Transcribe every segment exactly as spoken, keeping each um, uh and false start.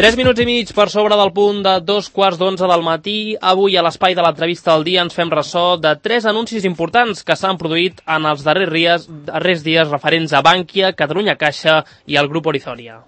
Tres minuts i mig per sobre del punt de dos quarts d'onze del matí. Avui a l'espai de l'entrevista del dia ens fem ressò de tres anuncis importants que s'han produït en els darrers dies, darrers dies referents a Bankia, Catalunya Caixa i el Grup Orizoria.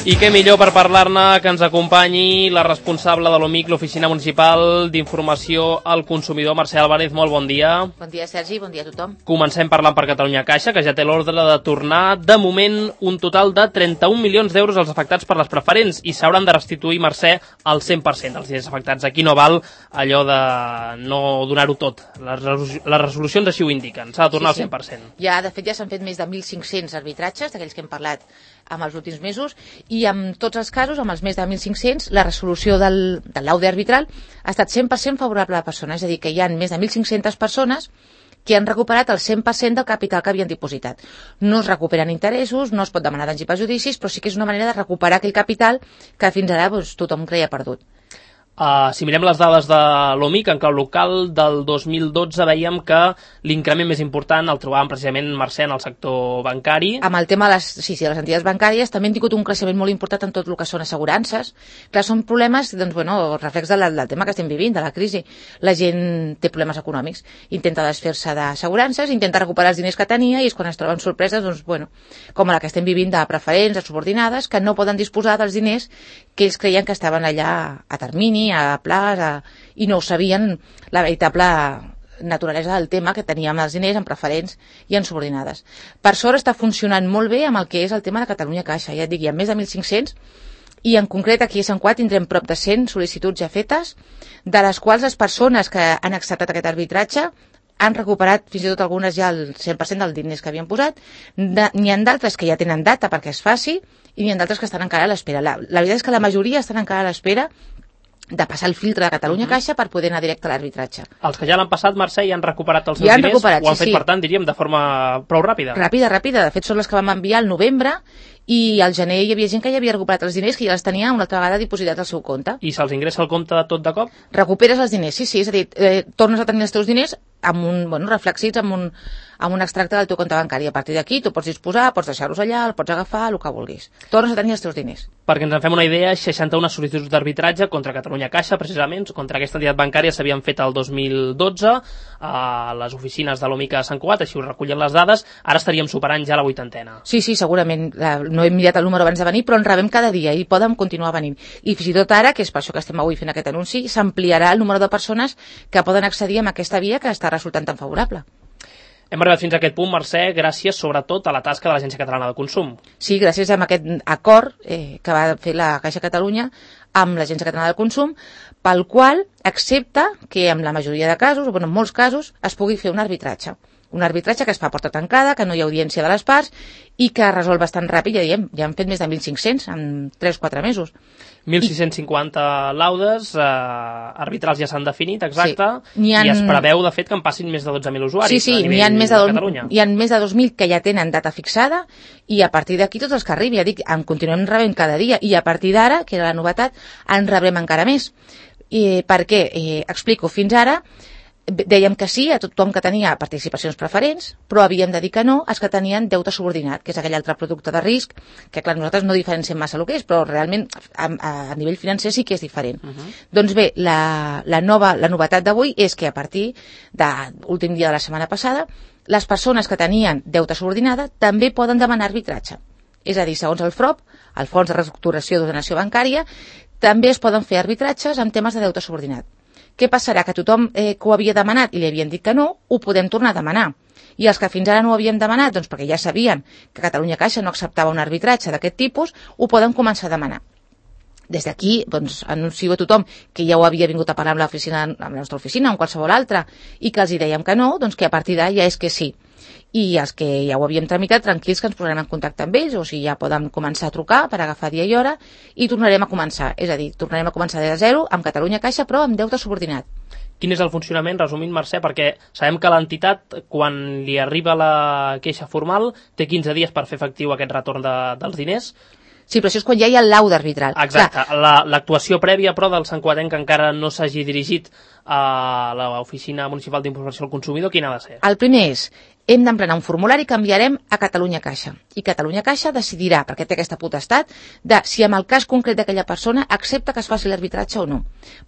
I què millor per parlar-ne que ens acompanyi la responsable de l'O M I C, l'Oficina Municipal d'Informació al Consumidor, Mercè Álvarez. Molt bon dia. Bon dia, Sergi, bon dia a tothom. Comencem parlant per Catalunya Caixa, que ja té l'ordre de tornar, de moment, un total de trenta-un milions d'euros als afectats per les preferents i s'hauran de restituir, Mercè, el cent per cent dels diners afectats. Aquí no val allò de no donar-ho tot. Les, resolu les resolucions així ho indiquen. S'ha de tornar sí, sí. al cent per cent. Ja, de fet, ja s'han fet més de mil cinc-cents arbitratges, d'aquells que hem parlat amb els últims mesos, i en tots els casos, amb els més de mil cinc-cents, la resolució del, del laude arbitral ha estat cent per cent favorable a la persona, és a dir, que hi ha més de mil cinc-centes persones que han recuperat el cent per cent del capital que havien dipositat. No es recuperen interessos, no es pot demanar danys i perjudicis, però sí que és una manera de recuperar aquell capital que fins ara doncs, tothom creia perdut. Uh, si mirem les dades de l'O M I C en clau local del dos mil dotze veiem que l'increment més important el trobàvem precisament, Mercè, en el sector bancari. Amb el tema de les, sí, sí, de les entitats bancàries també han tingut un creixement molt important en tot el que són assegurances. Clar, són problemes, doncs, bueno, reflex del, del tema que estem vivint, de la crisi. La gent té problemes econòmics, intenta desfer-se d'assegurances, intenta recuperar els diners que tenia i és quan es troben sorpreses, doncs, bueno, com la que estem vivint de preferents, de subordinades, que no poden disposar dels diners que ells creien que estaven allà a termini, a plaç, a... i no ho sabien la veritable naturalesa del tema que teníem els diners en preferents i en subordinades. Per sort està funcionant molt bé amb el que és el tema de Catalunya Caixa. Ja et dic, hi ha més de mil cinc-cents i en concret aquí a Sant Cugat tindrem prop de cent sol·licituds ja fetes, de les quals les persones que han acceptat aquest arbitratge han recuperat fins i tot algunes ja el cent per cent dels diners que havien posat. N'hi ha d'altres que ja tenen data perquè es faci i n'hi ha d'altres que estan encara a l'espera. La, la veritat és que la majoria estan encara a l'espera de passar el filtre de Catalunya Caixa per poder anar directe a l'arbitratge. Els que ja l'han passat, Mercè, i han recuperat els seus ja han diners, recuperat, ho han sí, fet, sí. per tant, diríem, de forma prou ràpida. Ràpida, ràpida. De fet, són les que vam enviar al novembre i al gener hi havia gent que ja havia recuperat els diners, que ja els tenia una altra vegada dipositats al seu compte. I se'ls ingressa al compte tot de cop? Recuperes els diners, sí, sí. És a dir, eh, tornes a tenir els teus diners amb un, bueno, reflexits amb un, amb un extracte del teu compte bancari. A partir d'aquí tu pots disposar, pots deixar-los allà, el pots agafar, el que vulguis. Tornes a tenir els teus diners. Perquè ens en fem una idea, seixanta-una sol·licituds d'arbitratge contra Catalunya Caixa, precisament, contra aquesta entitat bancària s'havien fet el dos mil dotze a les oficines de l'O M I C a Sant Cugat, així ho recullen les dades, ara estaríem superant ja la vuitantena. Sí, sí, segurament. La, no hem mirat el número abans de venir, però en rebem cada dia i poden continuar venint. I fins i tot ara, que és per això que estem avui fent aquest anunci, s'ampliarà el número de persones que poden accedir a aquesta via que està resultant tan favorable. Hem arribat fins a aquest punt, Mercè, gràcies sobretot a la tasca de l'Agència Catalana de Consum. Sí, gràcies a aquest acord eh, que va fer la Caixa Catalunya amb l'Agència Catalana de Consum, pel qual accepta que en la majoria de casos, o bueno, en molts casos, es pugui fer un arbitratge. Un arbitratge que es fa a porta tancada, que no hi ha audiència de les parts i que resol bastant ràpid, ja diem, ja han fet més de mil cinc-cents en tres o quatre mesos. mil sis-cents cinquanta laudes, eh, arbitrals ja s'han definit, exacte, sí. Han... i es preveu, de fet, que en passin més de dotze mil usuaris sí, sí, a nivell ha més de, de do... Catalunya. Hi ha més de dos mil que ja tenen data fixada i a partir d'aquí tots els que arribi, ja dic, en continuem rebent cada dia i a partir d'ara, que era la novetat, en rebrem encara més. I per què? Eh, explico, fins ara dèiem que sí a tothom que tenia participacions preferents, però havíem de dir que no als que tenien deute subordinat, que és aquell altre producte de risc, que clar, nosaltres no diferenciem massa el que és, però realment a, a nivell financer sí que és diferent. Uh -huh. Doncs bé, la, la, nova, la novetat d'avui és que a partir de l'últim dia de la setmana passada, les persones que tenien deute subordinada també poden demanar arbitratge. És a dir, segons el F R O B, el Fons de Reestructuració d'Ordenació Bancària, també es poden fer arbitratges en temes de deute subordinat. Què passarà? Que tothom eh, que ho havia demanat i li havien dit que no, ho podem tornar a demanar. I els que fins ara no ho havíem demanat, doncs perquè ja sabien que Catalunya Caixa no acceptava un arbitratge d'aquest tipus, ho poden començar a demanar. Des d'aquí, doncs, anuncio a tothom que ja ho havia vingut a parlar amb, l'oficina, amb la nostra oficina o amb qualsevol altra i que els hi dèiem que no, doncs que a partir d'ara ja és que sí. I els que ja ho havíem tramitat, tranquils que ens posarem en contacte amb ells, o sigui, ja poden començar a trucar per agafar dia i hora i tornarem a començar. És a dir, tornarem a començar des de zero amb Catalunya Caixa, però amb deute subordinat. Quin és el funcionament, resumint, Mercè, perquè sabem que l'entitat, quan li arriba la queixa formal, té quinze dies per fer efectiu aquest retorn de, dels diners. Sí, però això és quan ja hi ha el laude arbitral. Exacte. L'actuació la, prèvia, però, del santcugatenc que encara no s'hagi dirigit a l'Oficina Municipal d'Informació al Consumidor, quina ha de ser? El primer és, hem d'emplenar un formulari que enviarem a Catalunya Caixa. I Catalunya Caixa decidirà, perquè té aquesta potestat, de si en el cas concret d'aquella persona accepta que es faci l'arbitratge o no.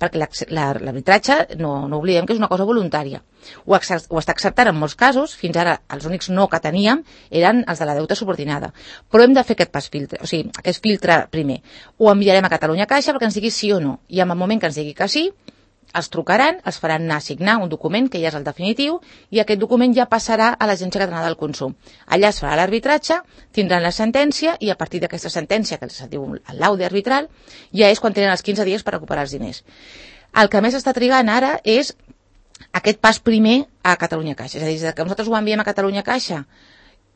Perquè l'arbitratge, no, no oblidem que és una cosa voluntària. Ho, ho està acceptant en molts casos, fins ara els únics no que teníem eren els de la deuta subordinada. Però hem de fer aquest pas filtre, o sigui, aquest filtre primer. Ho enviarem a Catalunya Caixa perquè ens digui sí o no. I en el moment que ens digui que sí, els trucaran, els faran anar a signar un document que ja és el definitiu i aquest document ja passarà a l'Agència Catalana del Consum. Allà es farà l'arbitratge, tindran la sentència i a partir d'aquesta sentència, que es diu el laude arbitral, ja és quan tenen els quinze dies per recuperar els diners. El que més està trigant ara és aquest pas primer a Catalunya Caixa. És a dir, des que nosaltres ho enviem a Catalunya Caixa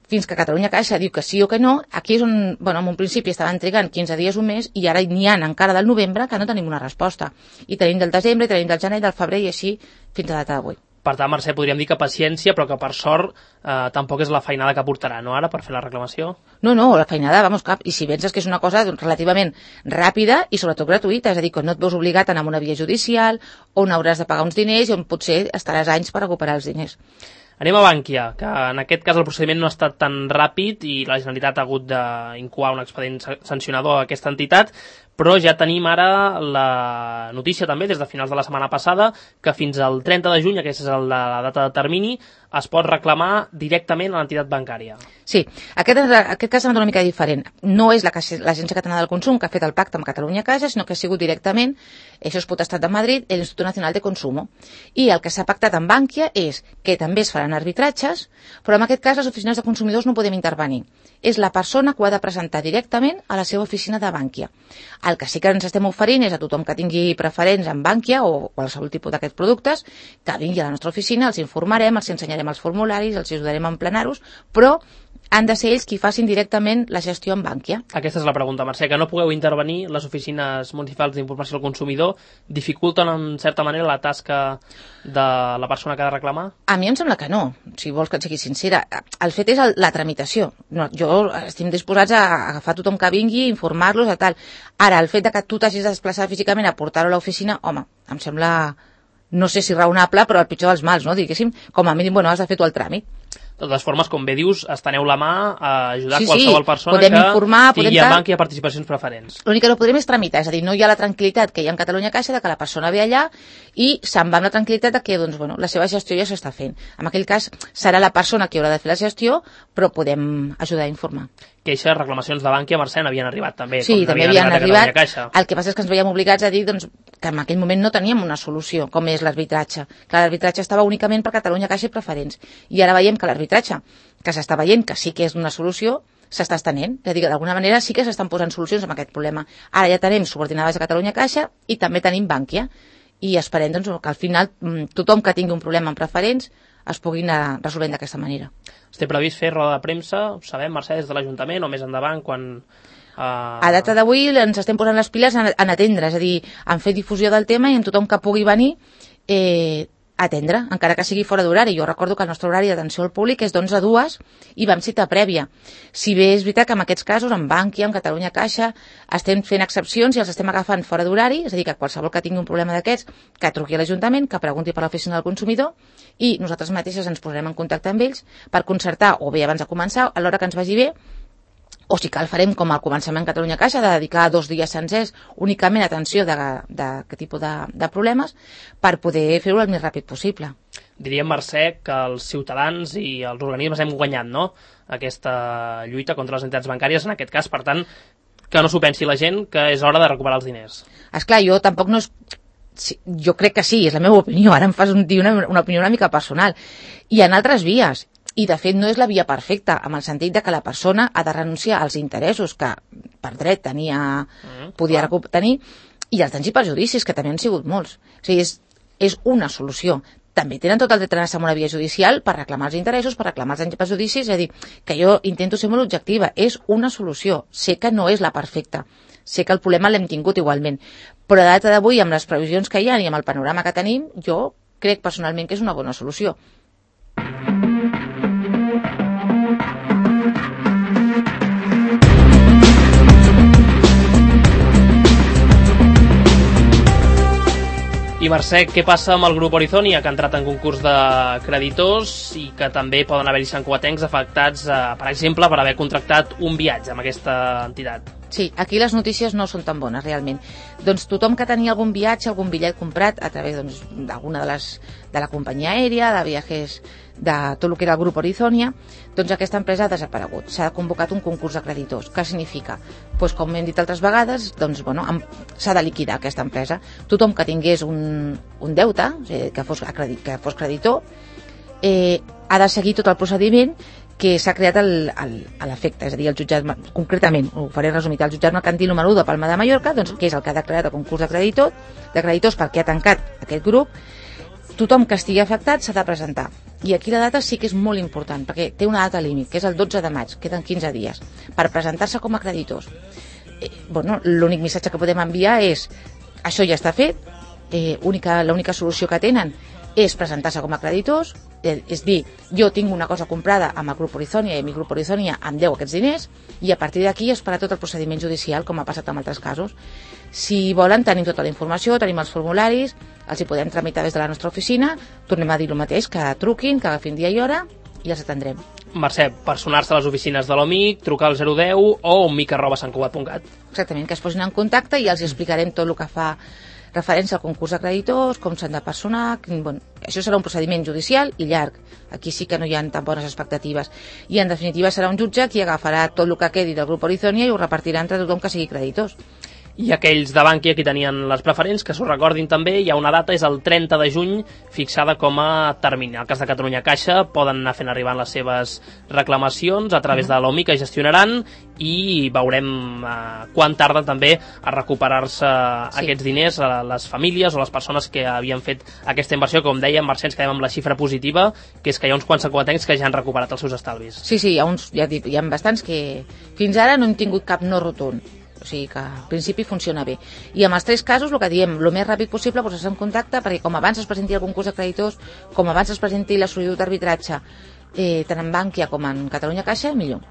fins que Catalunya Caixa diu que sí o que no, aquí és on, bueno, en un principi estaven trigant quinze dies o un mes i ara n'hi ha encara del novembre que no tenim una resposta. I tenim del desembre, i tenim del gener, del febrer i així fins a data d'avui. Per tant, Mercè, podríem dir que paciència, però que per sort eh, tampoc és la feinada que portarà, no, ara, per fer la reclamació? No, no, la feinada, vamos, cap. I si penses que és una cosa doncs, relativament ràpida i sobretot gratuïta, és a dir, que no et veus obligat a anar a una via judicial on hauràs de pagar uns diners i on potser estaràs anys per recuperar els diners. Anem a Bankia, que en aquest cas el procediment no ha estat tan ràpid i la Generalitat ha hagut d'incoar un expedient sancionador a aquesta entitat, però ja tenim ara la notícia també des de finals de la setmana passada que fins al trenta de juny, aquesta és la data de termini, es pot reclamar directament a l'entitat bancària. Sí, aquest, aquest cas és una mica diferent. No és l'Agència Catalana del Consum que ha fet el pacte amb Catalunya Caixa, sinó que ha sigut directament, això és potestat de Madrid, l'Institut Nacional de Consumo. I el que s'ha pactat amb Bankia és que també es faran arbitratges, però en aquest cas les oficines de consumidors no podem intervenir. És la persona que ho ha de presentar directament a la seva oficina de Bankia. El que sí que ens estem oferint és a tothom que tingui preferents en Bankia o qualsevol tipus d'aquests productes, que vingui a la nostra oficina, els informarem, els ensenyarem els formularis, els ajudarem a emplenar-los, però han de ser ells qui facin directament la gestió en Bankia. Aquesta és la pregunta, Mercè, que no pugueu intervenir les oficines municipals d'informació al consumidor dificulten en certa manera la tasca de la persona que ha de reclamar? A mi em sembla que no, si vols que et sigui sincera. El fet és el, la tramitació. No, jo estem disposats a agafar tothom que vingui, informar-los i tal. Ara, el fet de que tu t'hagis de desplaçar físicament a portar-ho a l'oficina, home, em sembla, no sé si raonable, però el pitjor dels mals, no? Diguéssim, com a mínim, bueno, has de fer tu el tràmit. De totes formes, com bé dius, esteneu la mà a ajudar sí, qualsevol sí, persona que informar, tingui a Bankia participacions preferents. L'únic que no podrem és tramitar, és a dir, no hi ha la tranquil·litat que hi ha en Catalunya Caixa de que la persona ve allà i se'n va amb la tranquil·litat de que doncs, bueno, la seva gestió ja s'està fent. En aquell cas serà la persona qui haurà de fer la gestió, però podem ajudar a informar. Queixes, reclamacions de Bankia, Mercè, n'havien arribat també. Sí, com també havien arribat. arribat El que passa és que ens veiem obligats a dir doncs, que en aquell moment no teníem una solució, com és l'arbitratge. Clar, l'arbitratge estava únicament per Catalunya Caixa i preferents. I ara veiem que l'arbitratge, que s'està veient que sí que és una solució, s'està estenent. És a dir, que d'alguna manera sí que s'estan posant solucions a aquest problema. Ara ja tenim subordinades a Catalunya Caixa i també tenim Bankia. I esperem doncs, que al final tothom que tingui un problema en preferents es pugui anar resolent d'aquesta manera. Té previst fer roda de premsa, ho sabem, Mercè, des de l'Ajuntament o més endavant, quan... Uh... A data d'avui ens estem posant les piles en, en atendre, és a dir, en fer difusió del tema i en tothom que pugui venir eh, atendre, encara que sigui fora d'horari. Jo recordo que el nostre horari d'atenció al públic és d'onze a dues i vam cita prèvia. Si bé és veritat que en aquests casos, en Bankia, en Catalunya Caixa, estem fent excepcions i els estem agafant fora d'horari, és a dir, que qualsevol que tingui un problema d'aquests, que truqui a l'Ajuntament, que pregunti per l'oficina del consumidor i nosaltres mateixes ens posarem en contacte amb ells per concertar, o bé abans de començar, a l'hora que ens vagi bé, o si cal farem com al començament Catalunya Caixa, de dedicar dos dies sencers únicament a atenció d'aquest tipus de, de problemes per poder fer-ho el més ràpid possible. Diríem, Mercè, que els ciutadans i els organismes hem guanyat, no?, aquesta lluita contra les entitats bancàries, en aquest cas, per tant, que no s'ho pensi la gent, que és hora de recuperar els diners. Esclar, jo tampoc no és... Sí, jo crec que sí, és la meva opinió, ara em fas un, una, una opinió una mica personal. Hi ha altres vies, i de fet no és la via perfecta, en el sentit de que la persona ha de renunciar als interessos que per dret tenia, mm, podia clar. tenir, i als danys i perjudicis, que també han sigut molts. O sigui, és, és una solució. També tenen tot el dret d'anar-se a una via judicial per reclamar els interessos, per reclamar els danys i perjudicis, és a dir, que jo intento ser molt objectiva, és una solució, sé que no és la perfecta, sé que el problema l'hem tingut igualment, però a data d'avui, amb les previsions que hi ha i amb el panorama que tenim, jo crec personalment que és una bona solució. I Mercè, què passa amb el grup Orizonia, que ha entrat en concurs de creditors i que també poden haver-hi santcugatencs afectats, eh, per exemple, per haver contractat un viatge amb aquesta entitat? Sí, aquí les notícies no són tan bones, realment. Doncs tothom que tenia algun viatge, algun bitllet comprat a través doncs, d'alguna de les de la companyia aèria, de viatges, de tot el que era el grup Orizonia, doncs aquesta empresa ha desaparegut. S'ha convocat un concurs de creditors. Què significa? Pues, com hem dit altres vegades, doncs, bueno, s'ha de liquidar aquesta empresa. Tothom que tingués un, un deute, o sigui, que, fos acredit, que fos creditor, eh, ha de seguir tot el procediment que s'ha creat el, el, a l'efecte, és a dir, el jutjat, concretament, ho faré resumit, el jutjat mercantil número u de Palma de Mallorca, doncs, que és el que ha declarat el concurs de creditor, de creditors perquè ha tancat aquest grup. Tothom que estigui afectat s'ha de presentar. I aquí la data sí que és molt important, perquè té una data límit, que és el dotze de maig, queden quinze dies, per presentar-se com a creditors. Eh, bueno, l'únic missatge que podem enviar és això ja està fet, eh, única, l'única solució que tenen és presentar-se com a creditors, eh, és dir, jo tinc una cosa comprada amb el grup Orizonia i mi grup Orizonia em deu aquests diners i a partir d'aquí esperar tot el procediment judicial com ha passat en altres casos. Si volen tenim tota la informació, tenim els formularis, els hi podem tramitar des de la nostra oficina, tornem a dir el mateix, que truquin, que agafin dia i hora i els atendrem. Mercè, personar-se a les oficines de l'OMIC, trucar al zero deu o omic arroba santcugat punt cat. Exactament, que es posin en contacte i els explicarem tot el que fa referència al concurs de creditors, com s'han de personar. Bueno, això serà un procediment judicial i llarg. Aquí sí que no hi ha tan bones expectatives. I en definitiva serà un jutge qui agafarà tot el que quedi del grup Orizonia i ho repartirà entre tothom que sigui creditors. I aquells de Bankia que tenien les preferents, que s'ho recordin també, hi ha una data, és el trenta de juny, fixada com a termini. En el cas de Catalunya Caixa poden anar fent arribar les seves reclamacions a través de l'OMI que gestionaran i veurem eh, quan tarda també a recuperar-se sí. aquests diners a les famílies o les persones que havien fet aquesta inversió. Com deia, Mercè, ens quedem amb la xifra positiva, que és que hi ha uns quants santcugatencs que ja han recuperat els seus estalvis. Sí, sí, hi ha, uns, ja dic, hi ha bastants que fins ara no hem tingut cap no rotund. O sigui que al principi funciona bé. I amb els tres casos, el que diem, el més ràpid possible, posar-se en contacte, perquè com abans es presenti el concurs de creditors, com abans es presenti la sol·licitud d'arbitratge, eh, tant en Bankia com en Catalunya Caixa, millor.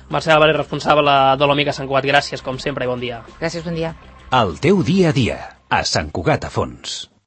Mercè Álvarez, responsable de l'OMIC a Sant Cugat, gràcies, com sempre, i bon dia. Gràcies, bon dia. El teu dia a dia, a Sant Cugat a Fons.